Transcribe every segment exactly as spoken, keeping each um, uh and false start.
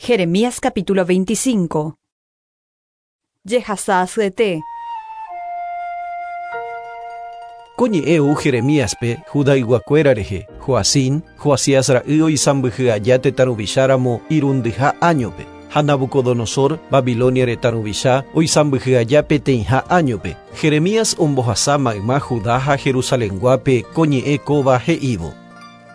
Jeremías capítulo veinticinco. Jehasa asyete. Ko ñe'ẽ ou Jeremíaspe Judayguakuéra rehe, Joacim, Joacías ra'y oisãmbyhy aja tetã ruvicháramo irundyha áñope, ha Nabucodonosor, Babilonia retã ruvicha, oisãmbyhy aja peteĩha áñope. Jeremías ombohasa mayma Judá ha Jerusalenguápe ko ñe'ẽ kóva he'ívo.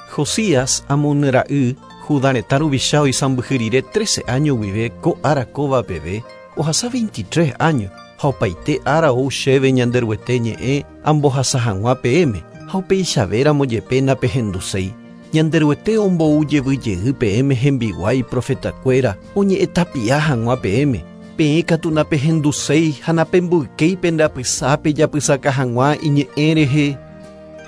Josías Amón ra'y, Judá retã ruvicha oisãmbyhy rire trece año guive ko ára kóva peve, ohasa veintitrés años, ha opaite ára ou chéve Ñanderuete ñe'ẽ ambohasa hag̃ua peẽme, ha upeichavéramo jepe napehenduséi. Ñanderuete ombou jevyjey peẽme hembiguái profetakuéra oñe'ẽtapia hag̃ua peẽme. Peẽ katu napehenduséi ha napemboykéi pendapysápe japysaka hag̃ua iñe'ẽ rehe.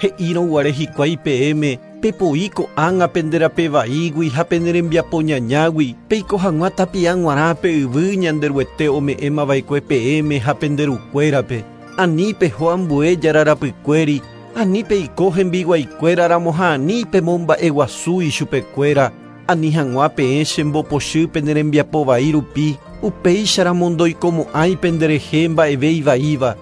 He'írõguare hikuái peẽme pepoi ko'ág̃a penderapeva'ígui ha penerembiapoñañágui peiko hag̃ua tapia g̃uarã pe yvy Ñanderuete ome'ẽmava'ekue peẽme ha penderukuérape. Ani peho ambue jararapykuéri, ani peiko hembiguaikuéraramo ha ani pemomba'eguasu ichupekuéra, ani hag̃ua peẽ chembopochy penerembiapovai rupi, upéicharamo ndoikomo'ãi penderehe mba'eve ivaíva.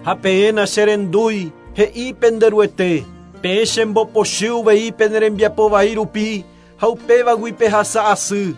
Ha peẽ nacherendúi, he'i Penderuete, peẽ chembopochy uvei penerembiapovai rupi, ha upévagui pehasa asy.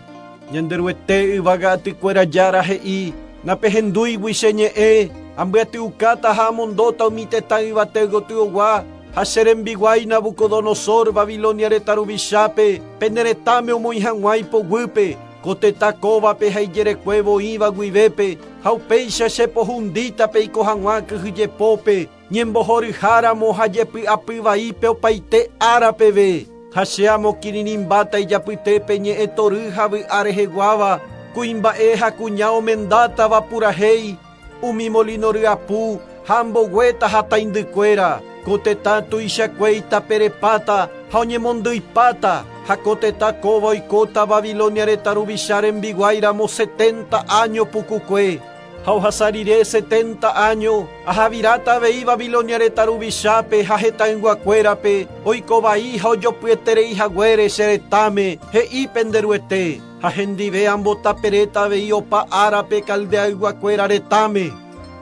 Ñanderuete yvága atykuéra jára he'i, napehendúigui che ñe'ẽ, ambyatyukáta ha amondóta umi tetã yvate gotyogua, ha che rembiguái Nabucodonosor Babilonia retã ruvichápe, pene retãme omoĩ hag̃ua ipoguýpe, ko tetã kóvape ha ijerekuévo oĩva guivépe, ha upéicha chepohundíta peiko hag̃ua kyhyjepópe, ñembohoryháramo ha jepy'apyvaípe opaite ára peve. Ha che amokirirĩmbáta ijapytépe ñe'ẽtory ha vy'a reheguáva, kuimba'e ha kuña omendátava purahéi, umi molino ryapu ha amboguéta ha taindykuéra, ko tetã tuichakuéita perepáta ha oñemondyipáta, ha ko tetã kóva oikóta Babilonia retã ruvicha rembiguáiramo setenta año pukukue. Ha ohasa rire setenta año, ahaviráta avei Babilonia retã ruvichápe ha hetãyguakuérape, oikovai ha ojopyeterei haguére che retãme, he'i Penderuete, ha hendive ambotaperéta avei opa árape Caldeayguakuéra retãme.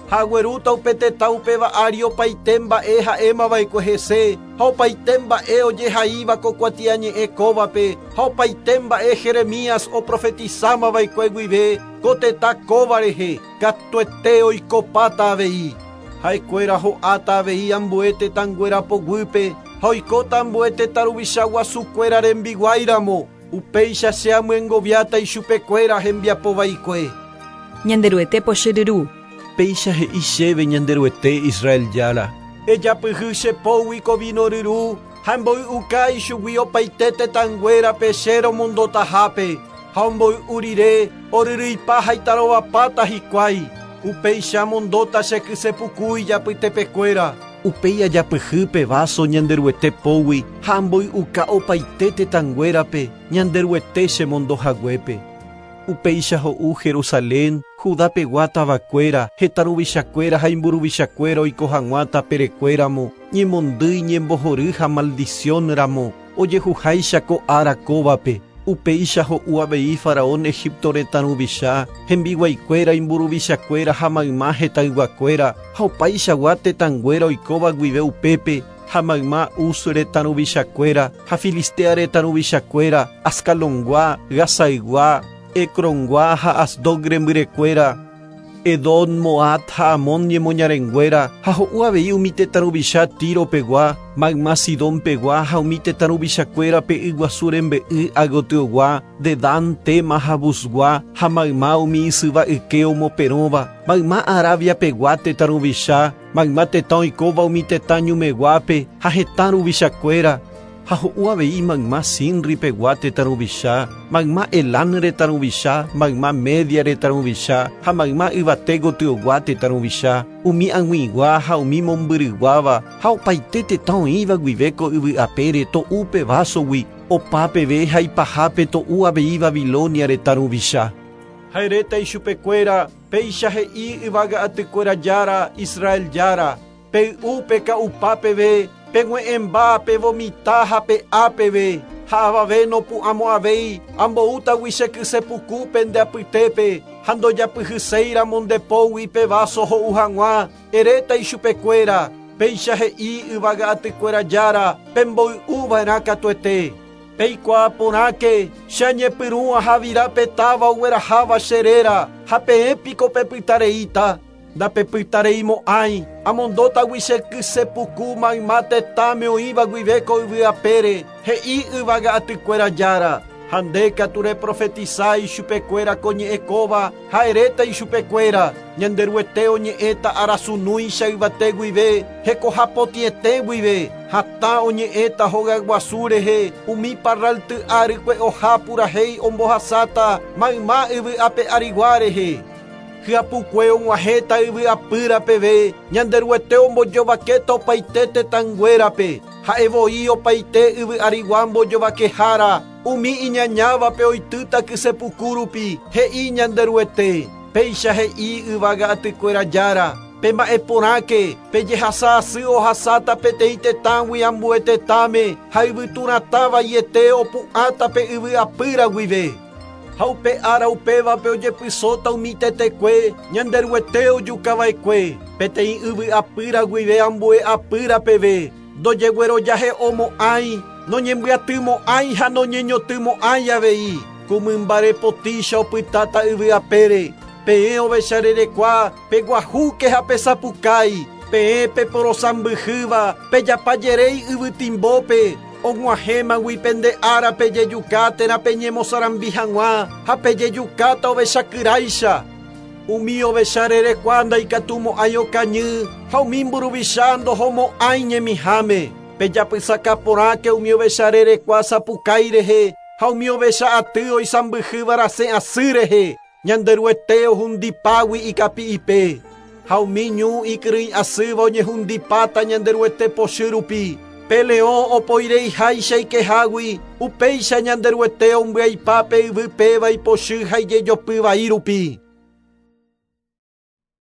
Ha aguerúta upe tetã upéva ári opaite mba'e ha'émava'ekue hese, ha opaite mba'e ojehaíva ko kuatiañe'ẽ kóvape, ha opaite mba'e Jeremías oprofetizámava'ekue guive ko tetã kóva rehe, katuete oikopáta avei. Ha'ekuéra ho'áta avei ambue tetãnguéra poguýpe, ha oikóta ambue tetã ruvicha guasukuéra rembiguáiramo, upéicha che amyengoviáta ichupekuéra hembiapovaikue. Ñanderuete pochyryru. Péicha he'i chéve Ñanderuete Israel jára. Ejapyhy che pógui ko vino ryru, ha mboy'uka ichugui opaite tetãnguérape che romondotahápe, ha omboy'u rire oryryipa ha itarovapáta hikuái, upéicha amondóta che kysepuku ijapytepekuéra. Upéi ajapyhy pe vaso Ñanderuete pógui ha amboy'uka opaite tetãnguérape Ñanderuete chemondohaguépe. Upéicha ho'u Jerusalén, Judapegua tavakuéra, hetã ruvichakuéra ha imburuvichakuéra oiko hag̃ua taperekuéramo, ñemondýi ñembohory ha maldiciónramo, ojehuháicha ko ára kóvape. Upéicha ho'u avei faraón Egipto retã ruvicha, hembiguaikuéra imburuvichakuéra ha mayma hetãyguakuéra, ha opaichagua tetãnguéra oikóva guive upépe, ha mayma Uz retã ruvichakuéra, ha Filistea retã ruvichakuéra, Ascalongua, Gazaygua, Ecrongua ha Asdod rembyrekuéra, Edom, Moab ha Amón ñemoñarenguéra, ha ho'u avei umi tetã ruvicha Tiropegua, mayma Sidonpegua ha umi tetã ruvichakuéra pe yguasu rembe'y agotyogua, Dedán, Tema ha Buzgua, ha mayma umi isyva yke omoperõva, mayma Arabiapegua tetã ruvicha, mayma tetã oikóva umi tetã ñumeguápe ha hetã ruvichakuéra, ha ho'u avei mayma Sinripegua tetã ruvicha, mayma Elán retã ruvicha, mayma Media retã ruvicha, ha mayma yvate gotyogua tetã ruvicha, umi ag̃uigua ha umi mombyryguáva, ha opaite tetã oĩva guive ko yvy apére to'u pe vásogui, opa peve ha ipahápe to'u avei Babilonia retã ruvicha. Ha eréta ichupekuéra, péicha he'i yvága atykuéra jára, Israel jára, pey'u peka'upa peve, pegue'ẽmba pevomita ha pe'a peve, Ha avave nopu'ãmo'ãvéi amboútagui che kysepuku pende apytépe ha ndojapyhyséiramo ndepógui pe vaso ho'u hag̃ua eréta ichupekuéra péicha he'i yvága atykuéra jára pemboy'uva'erã katuete. Peikuaa porãke che añepyrũ ahavira pe táva ogueraháva che réra ha peẽ piko pepytareíta ndapepytareimo'ãi amondótagui che kysepuku mayma tetãme oĩva guive ko yvy apére he'i yvága atykuéra jára ha nde katu reprofetisa ichupekuéra ko ñe'ẽkóva ha eréta ichupekuéra Ñanderuete oñe'ẽta arasunúicha yvate guive hekohapotĩete guive hatã oñe'ẽta hogaguasu rehe umi parralty árykue oha purahéi ombohasáta mayma yvy ape arigua rehe hyapukue og̃uahẽta yvy apýra peve Ñanderuete ombojovakéta opaite tetãnguérape ha'evoi opaite yvy arigua mbojovakehára umi iñañávape oitýta kysepuku rupi he'i Ñanderuete péicha he'i yvága atykuéra jára pemba'eporãke pejehasa asy ohasáta peteĩ tetãgui ambue tetãme ha yvyturatã vaiete opu'ãta pe yvy apýra guive ha upe ára upévape ojepysóta umi tetekue Ñanderuete ojukava'ekue peteĩ yvy apýra guive ambue apýra peve ndojeguerojahe'omo'ãi noñembyatymo'ãi ha noñeñotymo'ãi avei ku mymbarepotícha opytáta yvy apére peẽ ovecharerekua peguahúke ha pesapukái peẽ peporosãmbyhýva pejapajeréi yvytimbópe og̃uahẽmagui pende ára pejejuka térã peñemosarambi hag̃ua ha pejejukáta ovechakyráicha umi ovecharerekua ndaikatumo'ãi okañy ha umi mburuvicha ndohomo'ãi ñemiháme pejapysaka porãke umi ovecharerekua sapukái rehe ha umi ovecha aty oisãmbyhýva rasẽ asy rehe Ñanderuete ohundipágui ikapi'ipe ha umi ñu ikyrỹi asýva oñehundipáta Ñanderuete pochy rupi pe leõ opoireiháicha ikehágui upéicha Ñanderuete ombyaipa pe yvy péva ipochy ha ijejopy vai rupi.